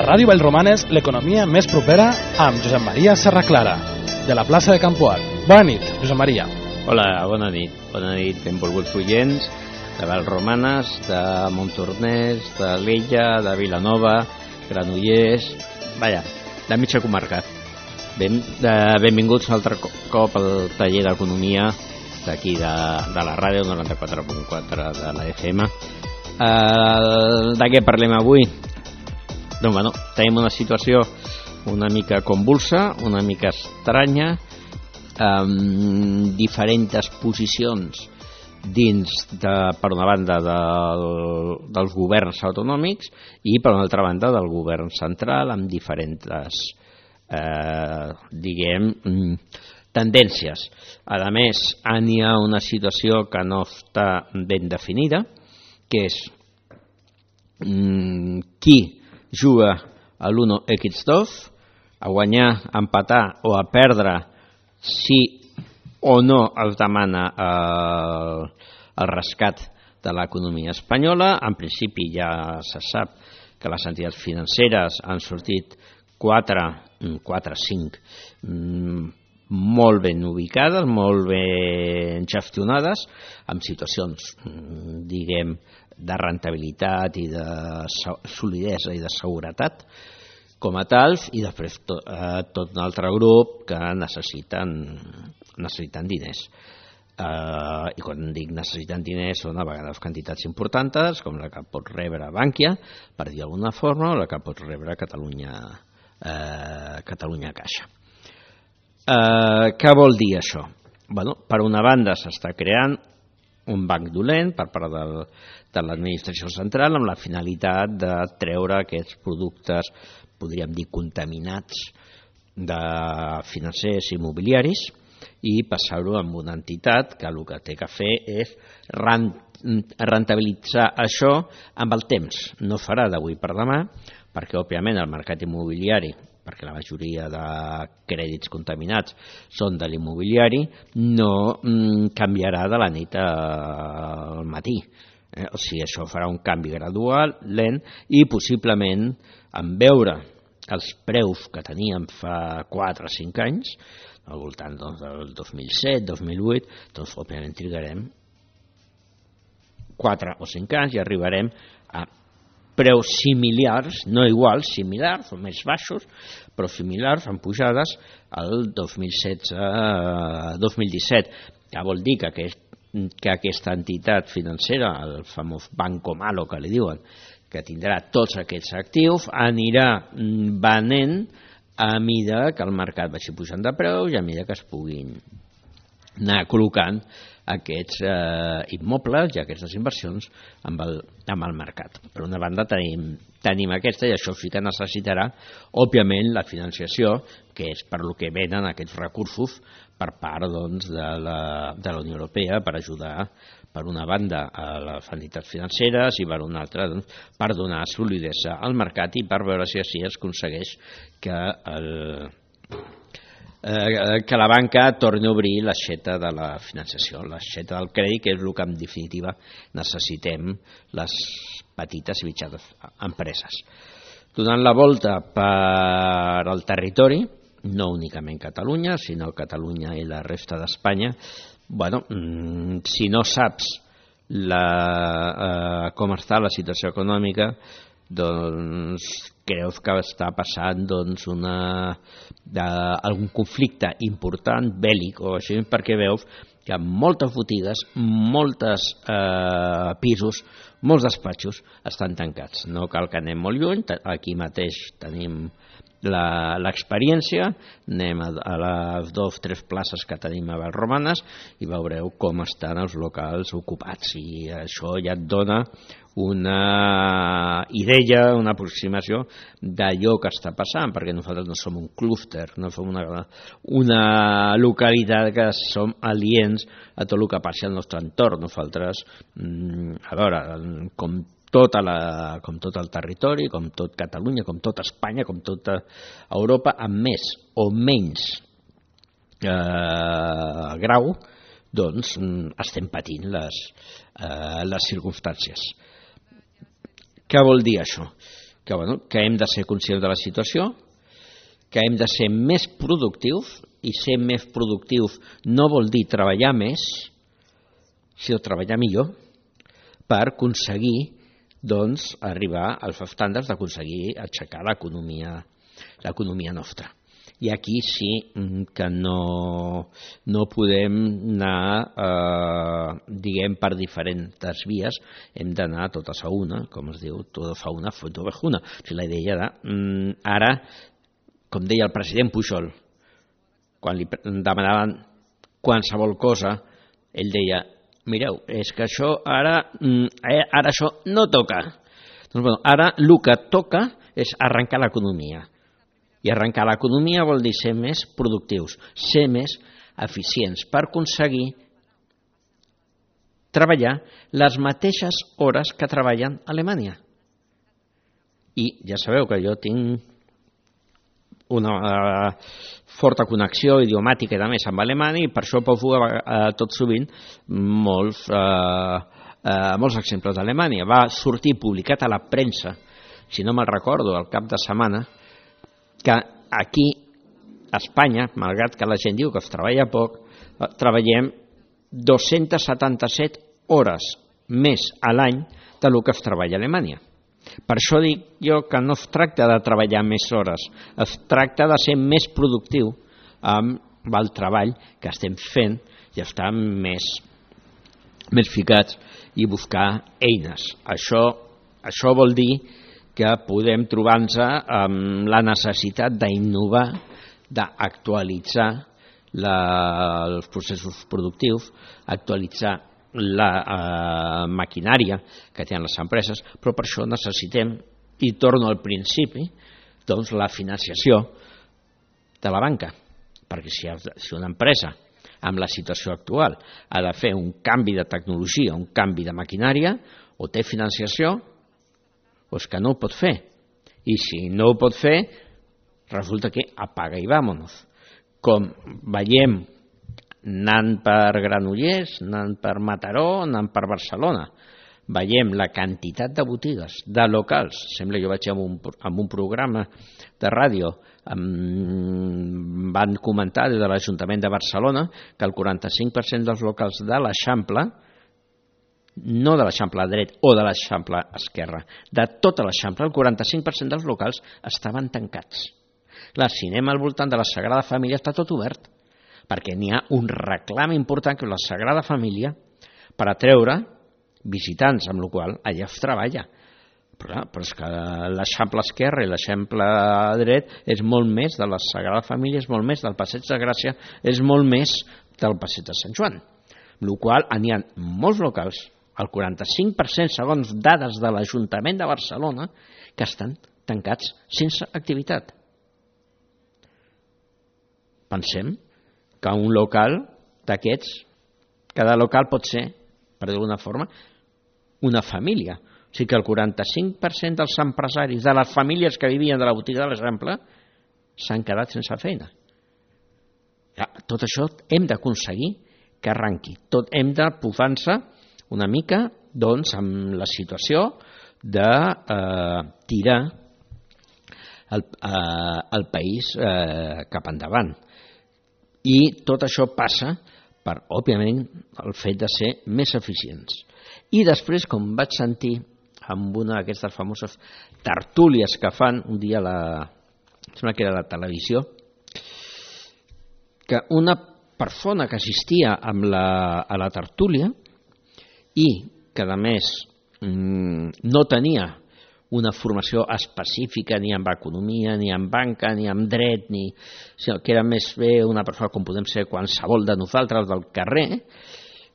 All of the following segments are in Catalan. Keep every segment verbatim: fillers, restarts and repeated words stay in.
A Ràdio Vallromanes, l'economia més propera amb Josep Maria Serraclara, de la plaça de Campoar. Bona nit, Josep Maria. Hola, bona nit. Bona nit, benvolguts oients de Vallromanes, de Montornès, de l'Ella, de Vilanova, Granollers, vaja, de mitja comarca. Ben, de, benvinguts un altre cop al taller d'economia d'aquí de, de la ràdio noranta-quatre punt quatre de la F M. Uh, de què parlem avui? Doncs bueno, tenim una situació una mica convulsa, una mica estranya, amb diferents posicions dins, de, per una banda, del, dels governs autonòmics i per una altra banda del govern central, amb diferents, eh, diguem, tendències. A més, hi ha una situació que no està ben definida, que és mm, qui juga a l'uno equis dos, a guanyar, a empatar o a perdre si o no es demana el, el rescat de l'economia espanyola. En principi ja se sap que les entitats financeres han sortit quatre, quatre cinc molt ben ubicades, molt ben gestionades, amb situacions, diguem, de rendibilitat i de solidesa i de seguretat com a tals, i després tot, eh, tot un altre grup que necessiten, necessiten diners. Eh, I quan dic necessiten diners són a vegades quantitats importants, com la que pot rebre Bankia, per dir d'alguna forma, o la que pot rebre Catalunya, eh, Catalunya Caixa. Eh, què vol dir això? Bueno, per una banda s'està creant un banc dolent per part del, de l'administració central amb la finalitat de treure aquests productes, podríem dir, contaminats de financers immobiliaris i passar-ho amb una entitat que el que té que fer és rentabilitzar això amb el temps. No farà d'avui per demà, perquè òbviament el mercat immobiliari, perquè la majoria de crèdits contaminats són de l'immobiliari, no mm, canviarà de la nit al matí. Eh? O sigui, això farà un canvi gradual, lent, i possiblement, en veure els preus que teníem fa quatre o cinc anys, al voltant doncs, del dos mil set, dos mil vuit, doncs òbviament trigarem quatre o cinc anys i arribarem a preus similars, no iguals, similars o més baixos, però similars en pujades al dos mil setze dos mil disset, que vol dir que, aquest, que aquesta entitat financera, el famós Banco Malo que li diuen, que tindrà tots aquests actius, anirà venent a mida que el mercat vagi pujant de preus i a mida que es puguin anar col·locant aquests eh, immobles i aquestes inversions amb el, amb el mercat. Per una banda tenim, tenim aquesta, i això sí que necessitarà, òbviament, la financiació, que és per lo que venen aquests recursos per part doncs, de, la, de la Unió Europea per ajudar, per una banda, a les entitats financeres i per una altra, doncs, per donar solidesa al mercat i per veure si així es aconsegueix que el Eh, que la banca torni a obrir l'aixeta de la financiació, l'aixeta del crèdit, que és el que en definitiva necessitem les petites i mitjanes empreses. Donant la volta per al territori, no únicament Catalunya, sinó Catalunya i la resta d'Espanya, bueno, si no saps la, eh, com està la situació econòmica, doncs creus que està passant doncs, una, de, algun conflicte important, bèl·lic o així, perquè veus que moltes botigues, molts eh, pisos, molts despatxos estan tancats. No cal que anem molt lluny, aquí mateix tenim l'experiència, anem a, a les dues o tres places que tenim a Vallromanes i veureu com estan els locals ocupats, i això ja et dona una idea, una aproximació d'allò que està passant, perquè nosaltres no som un clúster, no som una, una localitat que som aliens a tot el que passa al nostre entorn. Nosaltres, a veure, com Tota la, com tot el territori, com tot Catalunya, com tot Espanya, com tota Europa, amb més o menys eh, grau, doncs estem patint les, eh, les circumstàncies. Què vol dir això? que, bueno, que hem de ser conscients de la situació, que hem de ser més productius, i ser més productius no vol dir treballar més, sinó treballar millor per aconseguir doncs, arribar als estàndards d'aconseguir aixecar l'economia l'economia nostra. I aquí sí que no, no podem anar, eh, diguem, per diferents vies, hem d'anar totes a una, com es diu, totes a una, foto a una. O sigui, la idea de, mm, ara, com deia el president Pujol, quan li demanaven qualsevol cosa, ell deia, mireu, és que això ara, eh, ara això no toca. Doncs, bueno, ara el que toca és arrencar l'economia. I arrencar l'economia vol dir ser més productius, ser més eficients per aconseguir treballar les mateixes hores que treballen a Alemanya. I ja sabeu que jo tinc una uh, forta connexió idiomàtica i més amb Alemanya i per això poso uh, tot sovint molts, uh, uh, molts exemples d'Alemanya. Va sortir publicat a la premsa, si no me'n recordo, al cap de setmana, que aquí a Espanya, malgrat que la gent diu que es treballa poc, treballem dos-centes setanta-set hores més a l'any del que es treballa a Alemanya. Per això dic jo que no es tracta de treballar més hores, es tracta de ser més productiu amb el treball que estem fent i estar més, més ficats i buscar eines. Això, això vol dir que podem trobar-nos amb la necessitat d'innovar, d'actualitzar els processos productius, actualitzar la eh, maquinària que tenen les empreses, però per això necessitem, i torno al principi, doncs la financiació de la banca, perquè si, si una empresa amb la situació actual ha de fer un canvi de tecnologia, un canvi de maquinària, o té financiació o és que no ho pot fer. I si no ho pot fer, resulta que apaga i vámonos. Com veiem anant per Granollers, anant per Mataró, anant per Barcelona, veiem la quantitat de botigues, de locals. Sembla que jo vaig amb un, amb un programa de ràdio, amb, van comentar des de l'Ajuntament de Barcelona que el quaranta-cinc per cent dels locals de l'Eixample, no de l'Eixample dret o de l'Eixample esquerra, de tota l'Eixample, el quaranta-cinc per cent dels locals estaven tancats. Clar, si anem al voltant de la Sagrada Família està tot obert, perquè n'hi ha un reclam important que és la Sagrada Família per atreure visitants, amb la qual cosa allà es treballa. Però, però és que l'Eixample esquerre i l'Eixample dret és molt més de la Sagrada Família, és molt més del Passeig de Gràcia, és molt més del Passeig de Sant Joan. Amb la qual cosa n'hi ha molts locals, el quaranta-cinc per cent segons dades de l'Ajuntament de Barcelona, que estan tancats sense activitat. Pensem que un local d'aquests, cada local pot ser, per dir-ho d'una forma, una família. O sigui que el quaranta-cinc per cent dels empresaris de les famílies que vivien de la botiga de l'Eixample s'han quedat sense feina. Ja, tot això hem d'aconseguir que arranqui. Tot hem de posar-se una mica doncs, amb la situació de eh, tirar el, eh, el país eh, cap endavant. I tot això passa per, òbviament, el fet de ser més eficients. I després, com vaig sentir amb una d'aquestes famoses tertúlies que fan un dia a la, sembla que era la televisió, que una persona que assistia amb la, a la tertúlia i que a més no tenia una formació específica ni en economia, ni en banca, ni en dret, ni, sinó que era més bé una persona com podem ser qualsevol de nosaltres del carrer,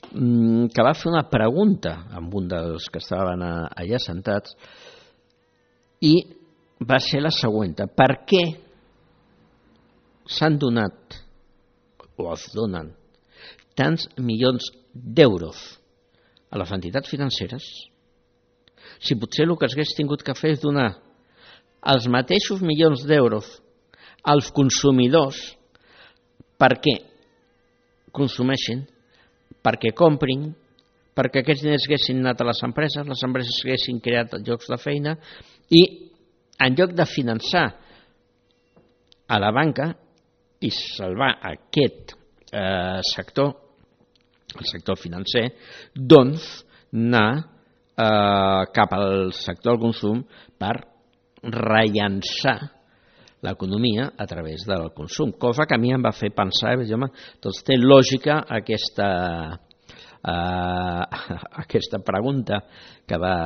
que va fer una pregunta amb un dels que estaven allà sentats i va ser la següent: per què s'han donat o es donen tants milions d'euros a les entitats financeres si potser el que s'hagués tingut que fer és donar els mateixos milions d'euros als consumidors perquè consumeixin, perquè comprin, perquè aquests diners haguessin anat a les empreses, les empreses haguessin creat llocs de feina i en lloc de finançar a la banca i salvar aquest eh, sector, el sector financer, doncs anar eh, cap al sector del consum per rellançar l'economia a través del consum, cosa que a mi em va fer pensar, home, doncs té lògica aquesta, eh, aquesta pregunta que va,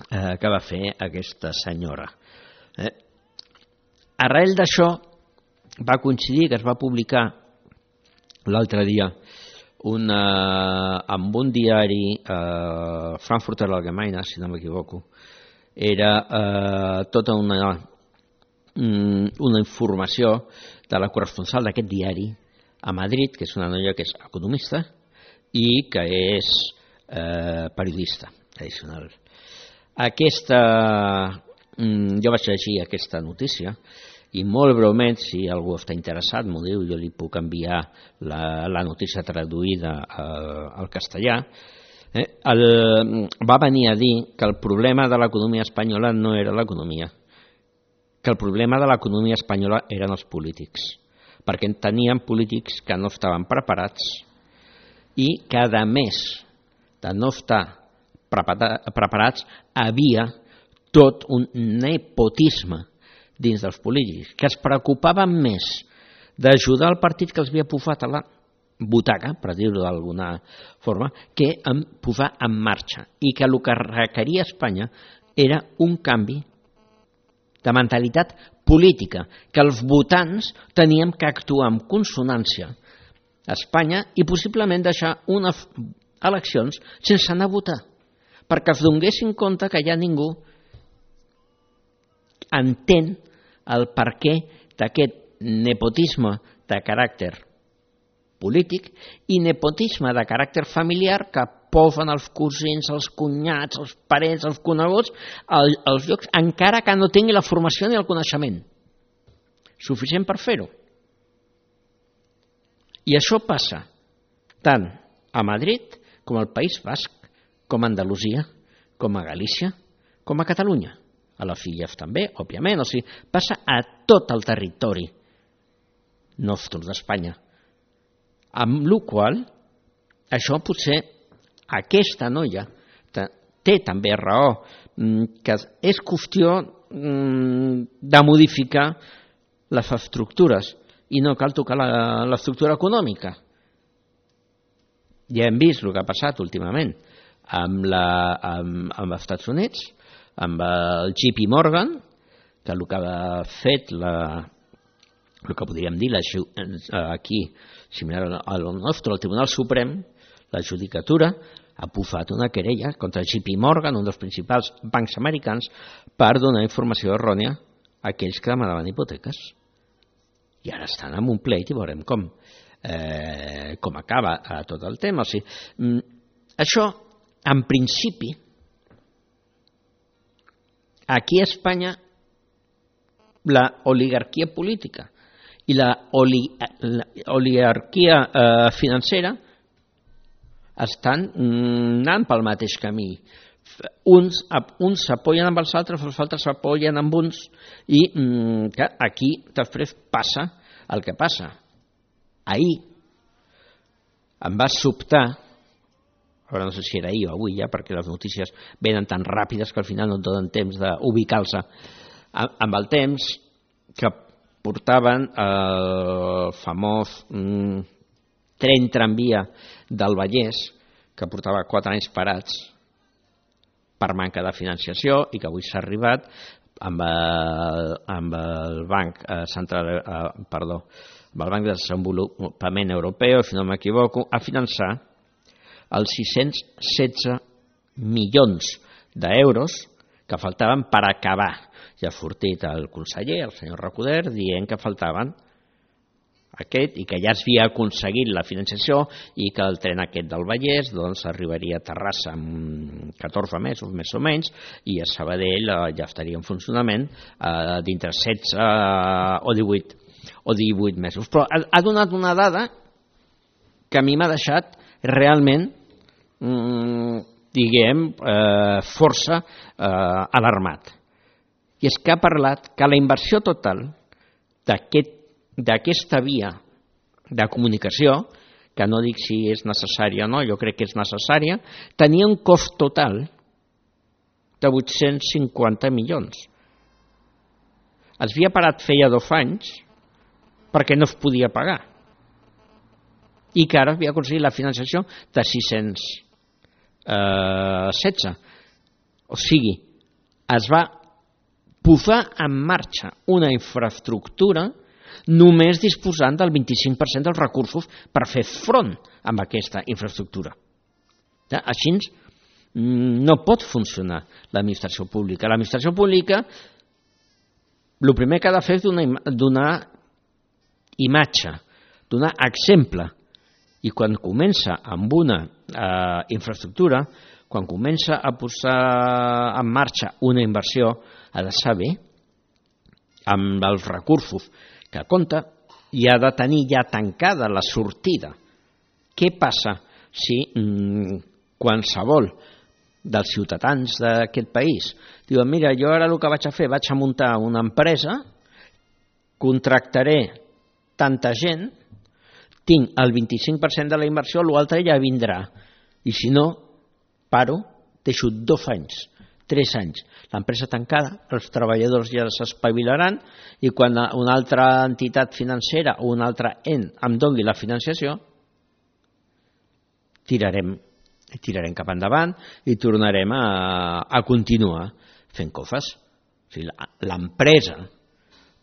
eh, que va fer aquesta senyora. Eh? Arrel d'això va coincidir que es va publicar l'altre dia una, amb un diari, eh, Frankfurter Allgemeine, si no m'equivoco, era eh, tota una, una informació de la corresponsal d'aquest diari a Madrid, que és una noia que és economista i que és eh, periodista addicional. Aquesta, jo vaig llegir aquesta notícia i molt breument, si algú està interessat, m'ho diu, jo li puc enviar la, la notícia traduïda al, al castellà. Eh, el, va venir a dir que el problema de l'economia espanyola no era l'economia, que el problema de l'economia espanyola eren els polítics, perquè tenien polítics que no estaven preparats i que, a més de no estar preparats, havia tot un nepotisme dins dels polítics, que es preocupaven més d'ajudar el partit que els havia posat a la butaca, per dir-ho d'alguna forma, que en posar en marxa, i que el que requeria Espanya era un canvi de mentalitat política, que els votants teníem que actuar en consonància a Espanya i possiblement deixar unes eleccions sense anar a votar, perquè es donguessin compte que ja ningú entén el perquè d'aquest nepotisme de caràcter polític i nepotisme de caràcter familiar que posen els cosins, els cunyats, els parents, els coneguts als llocs, encara que no tingui la formació ni el coneixement suficient per fer-ho. I això passa tant a Madrid com al País Basc, com a Andalusia, com a Galícia, com a Catalunya. A les Illes també, òbviament, o sigui, passa a tot el territori nostre d'Espanya. Amb la qual cosa, això potser aquesta noia té també raó, que és qüestió de modificar les estructures i no cal tocar l'estructura econòmica. Ja hem vist el que ha passat últimament amb, la, amb, amb els Estats Units, amb el J P Morgan, que el que ha fet la, el que podríem dir la, aquí, similar al nostre, el Tribunal Suprem, la judicatura, ha posat una querella contra J P Morgan, un dels principals bancs americans, per donar informació errònia a aquells que demanaven hipoteques. I ara estan en un pleit i veurem com, eh, com acaba tot el tema. O sigui, això, en principi, aquí a Espanya la oligarquia política i la, oli, la oligarquia eh, financera estan anant pel mateix camí. Uns, uns s'apoyen amb els altres, els altres s'apoyen amb uns i mm, que aquí després passa el que passa. Ahir em va sobtar, ara no sé si era ahir o avui ja, perquè les notícies venen tan ràpides que al final no et donen temps d'ubicar-se amb el temps, que portaven el famós mm, tren tramvia del Vallès, que portava quatre anys parats per manca de financiació i que avui s'ha arribat amb el, amb el Banc Central, eh, perdó, amb el Banc de Desenvolupament Europeu, si no m'equivoco, a finançar els sis-cents setze milions d'euros que faltaven per acabar. Ja ha sortit el conseller, el senyor Recoder, dient que faltaven aquest i que ja es havia aconseguit la financiació i que el tren aquest del Vallès doncs, arribaria a Terrassa en catorze mesos, més o menys, i a Sabadell ja estaria en funcionament eh, dintre setze o divuit, o divuit mesos. Però ha, ha donat una dada que a mi m'ha deixat realment diguem, eh, força eh, alarmat. I és que ha parlat que la inversió total d'aquesta via de comunicació, que no dic si és necessària o no, jo crec que és necessària, tenia un cost total de vuit-cents cinquanta milions. Es havia parat feia dos anys perquè no es podia pagar i que ara havia aconseguit la financiació de sis-cents setze. O sigui, es va posar en marxa una infraestructura només disposant del vint-i-cinc per cent dels recursos per fer front amb aquesta infraestructura. Així no pot funcionar l'administració pública. L'administració pública el primer que ha de fer és donar imatge, donar exemple. I quan comença amb una eh, infraestructura, quan comença a posar en marxa una inversió, ha de saber amb els recursos que compta i ha de tenir ja tancada la sortida. Què passa si mm, qualsevol dels ciutadans d'aquest país diuen, mira, jo ara el que vaig a fer, vaig a muntar una empresa, contractaré tanta gent, tinc el vint-i-cinc per cent de la inversió, l'altre ja vindrà. I si no, paro, deixo dos anys, tres anys, l'empresa tancada, els treballadors ja s'espavilaran i quan una altra entitat financera o un altre en em doni la financiació, tirarem, tirarem cap endavant i tornarem a, a continuar fent coses. O sigui, l'empresa,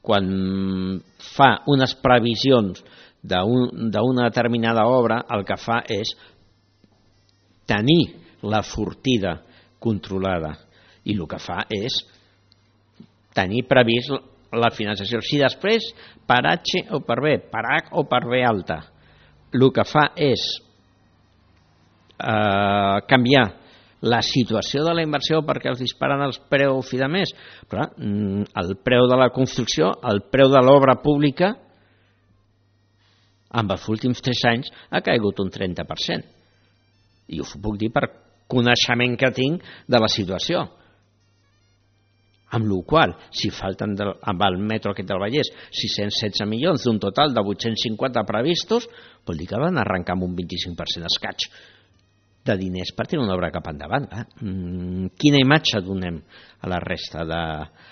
quan fa unes previsions d'una determinada obra, el que fa és tenir la sortida controlada i el que fa és tenir previst la financiació. Si després, per H o per B, per H o per B alta, el que fa és eh, canviar la situació de la inversió perquè els disparen els preus i de més, però el preu de la construcció, el preu de l'obra pública, amb els últims tres anys ha caigut un trenta per cent. I us ho puc dir per coneixement que tinc de la situació. Amb la qual cosa, si falten del, amb el metro aquest del Vallès sis-cents setze milions d'un total de vuit-cents cinquanta previstos, vol dir que van arrencar amb un vint-i-cinc per cent escaig de diners per tenir una obra cap endavant. Eh? Mm, quina imatge donem a la resta, de,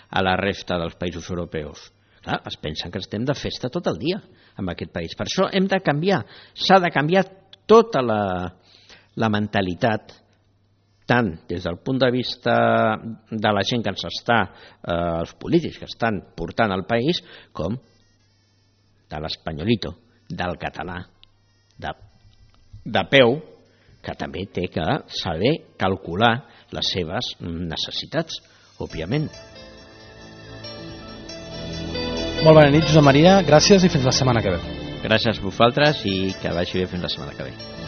a la resta dels països europeus? Clar, es pensen que estem de festa tot el dia en aquest país. Per això hem de canviar, s'ha de canviar tota la, la mentalitat, tant des del punt de vista de la gent que ens està, eh, els polítics que estan portant al país, com de l'espanyolito, del català, de, de peu, que també té que saber calcular les seves necessitats, òbviament. Molt bona nit, Josep Maria, gràcies i fins la setmana que ve. Gràcies a vosaltres i que vagi bé fins la setmana que ve.